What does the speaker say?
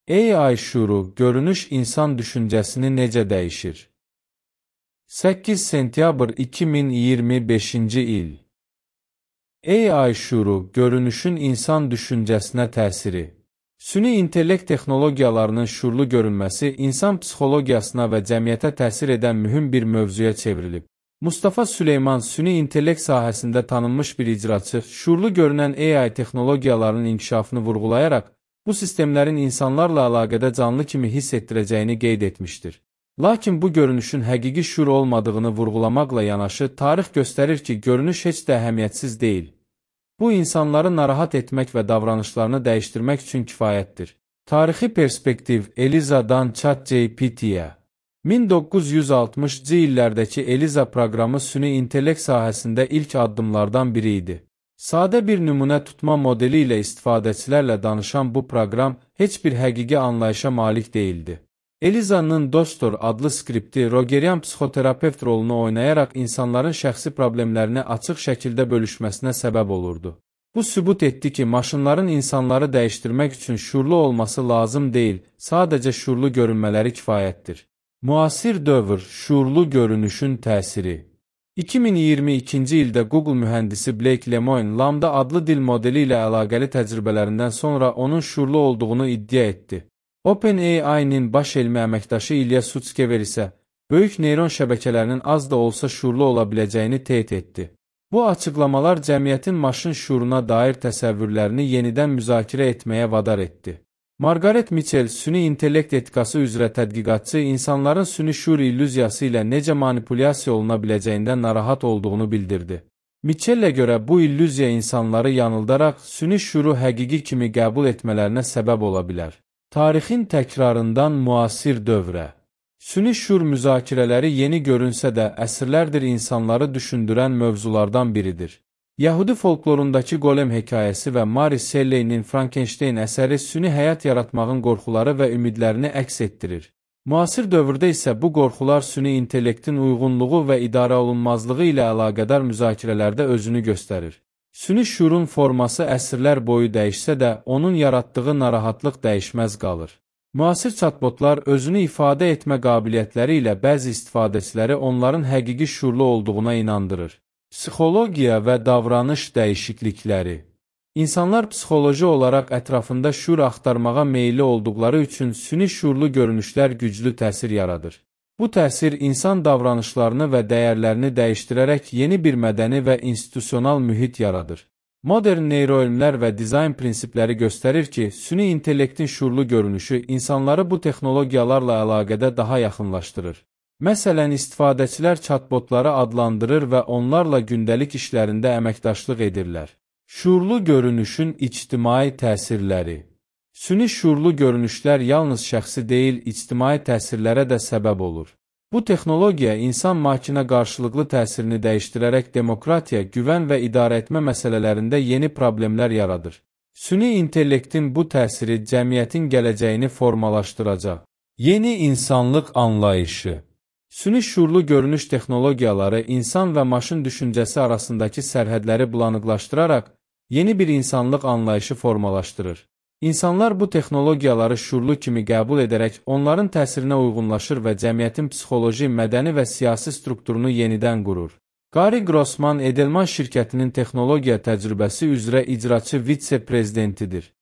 AI şuuru, görünüş insan düşüncəsini necə dəyişir? 8 sentyabr 2025-ci il. AI şuuru, görünüşün insan düşüncəsinə təsiri. Süni intellekt texnologiyalarının şuurlu görünməsi insan psixologiyasına və cəmiyyətə təsir edən mühüm bir mövzuya çevrilib. Mustafa Süleyman süni intellekt sahəsində tanınmış bir icraçı, şuurlu görünən AI texnologiyalarının inkişafını vurğulayaraq, bu sistemlərin insanlarla əlaqədə canlı kimi hiss etdirəcəyini qeyd etmişdir. Lakin bu görünüşün həqiqi şuur olmadığını vurğulamaqla yanaşı, tarix göstərir ki, görünüş heç də əhəmiyyətsiz deyil. Bu, insanları narahat etmək və davranışlarını dəyişdirmək üçün kifayətdir. Tarixi perspektiv Eliza'dan ChatGPT-yə. 1960-cı illərdəki Eliza proqramı süni intellekt sahəsində ilk addımlardan biri idi. Sadə bir nümunə tutma modeli ilə istifadəçilərlə danışan bu proqram heç bir həqiqi anlayışa malik deyildi. Eliza'nın Dostor adlı skripti Rogerian psixoterapevt rolunu oynayaraq insanların şəxsi problemlərini açıq şəkildə bölüşməsinə səbəb olurdu. Bu sübut etdi ki, maşınların insanları dəyişdirmək üçün şuurlu olması lazım deyil, sadəcə şuurlu görünmələri kifayətdir. Müasir dövr, şuurlu görünüşün təsiri. 2022-ci ildə Google mühəndisi Blake Lemoine Lambda adlı dil modeli ilə əlaqəli təcrübələrindən sonra onun şuurlu olduğunu iddia etdi. OpenAI-nin baş elmi əməkdaşı İlya Sutskever isə böyük neyron şəbəkələrinin az da olsa şuurlu ola biləcəyini teyit etdi. Bu açıqlamalar cəmiyyətin maşın şuuruna dair təsəvvürlərini yenidən müzakirə etməyə vadar etdi. Margaret Mitchell, süni intellekt etikası üzrə tədqiqatçı, insanların süni şuur illüziyası ilə necə manipulyasiya oluna biləcəyindən narahat olduğunu bildirdi. Mitchell-ə görə bu illüziya insanları yanıldaraq süni şuuru həqiqi kimi qəbul etmələrinə səbəb ola bilər. Tarixin təkrarından müasir dövrə. Süni şuur müzakirələri yeni görünsə də əsrlərdir insanları düşündürən mövzulardan biridir. Yahudi folklorundakı Golem hekayəsi və Mary Shelley'nin Frankenstein əsəri süni həyat yaratmağın qorxuları və ümidlərini əks etdirir. Müasir dövrdə isə bu qorxular süni intellektin uyğunluğu və idarə olunmazlığı ilə əlaqədar müzakirələrdə özünü göstərir. Süni şuurun forması əsrlər boyu dəyişsə də, onun yaratdığı narahatlıq dəyişməz qalır. Müasir chatbotlar özünü ifadə etmə qabiliyyətləri ilə bəzi istifadəçiləri onların həqiqi şuurlu olduğuna inandırır. Psixologiya və davranış dəyişiklikləri. İnsanlar psixoloji olaraq ətrafında şuur axtarmağa meyilli olduqları üçün süni şuurlu görünüşlər güclü təsir yaradır. Bu təsir insan davranışlarını və dəyərlərini dəyişdirərək yeni bir mədəni və institusional mühit yaradır. Modern neyroelmlər və dizayn prinsipləri göstərir ki, süni intellektin şuurlu görünüşü insanları bu texnologiyalarla əlaqədə daha yaxınlaşdırır. Məsələn, istifadəçilər chatbotları adlandırır və onlarla gündəlik işlərində əməkdaşlıq edirlər. Şuurlu görünüşün ictimai təsirləri. Süni şuurlu görünüşlər yalnız şəxsi deyil, ictimai təsirlərə də səbəb olur. Bu texnologiya insan-makinə qarşılıqlı təsirini dəyişdirərək demokratiya, güvən və idarə etmə məsələlərində yeni problemlər yaradır. Süni intellektin bu təsiri cəmiyyətin gələcəyini formalaşdıracaq. Yeni insanlıq anlayışı. Süni şuurlu görünüş texnologiyaları insan və maşın düşüncəsi arasındakı sərhədləri bulanıqlaşdıraraq yeni bir insanlıq anlayışı formalaşdırır. İnsanlar bu texnologiyaları şuurlu kimi qəbul edərək onların təsirinə uyğunlaşır və cəmiyyətin psixoloji, mədəni və siyasi strukturunu yenidən qurur. Gary Grossman Edelman şirkətinin texnologiya təcrübəsi üzrə icraçı vitse-prezidentidir.